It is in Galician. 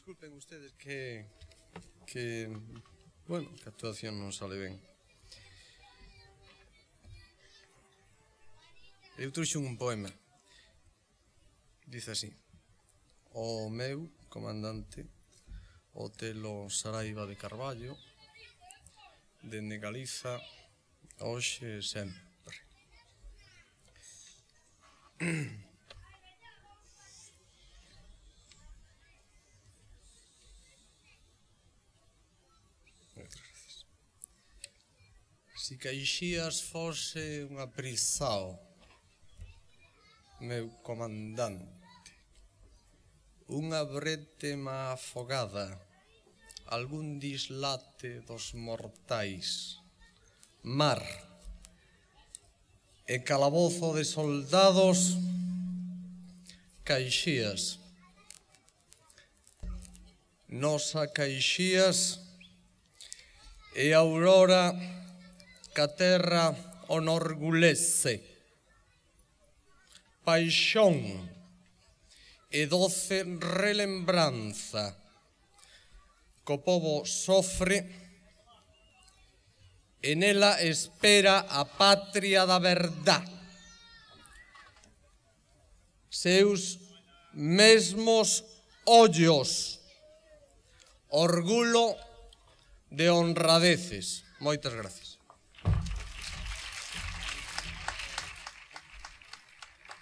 Disculpen ustedes bueno, que a actuación non sale ben. Eu trouxen un poema. Dice así: o meu comandante Otelo Saraiva de Carballo, dende Galiza, hoxe e sempre. Si Caixías fose un aprisao, meu comandante, unha brétema afogada, algún dislate dos mortais, mar e calabozo de soldados, Caixías. Nosa Caixías e a aurora que a terra onorgulece, paixón e doce relembranza que o pobo sofre e nela espera a patria da verdade. Seus mesmos ollos, orgullo de honradeces. Moitas gracias.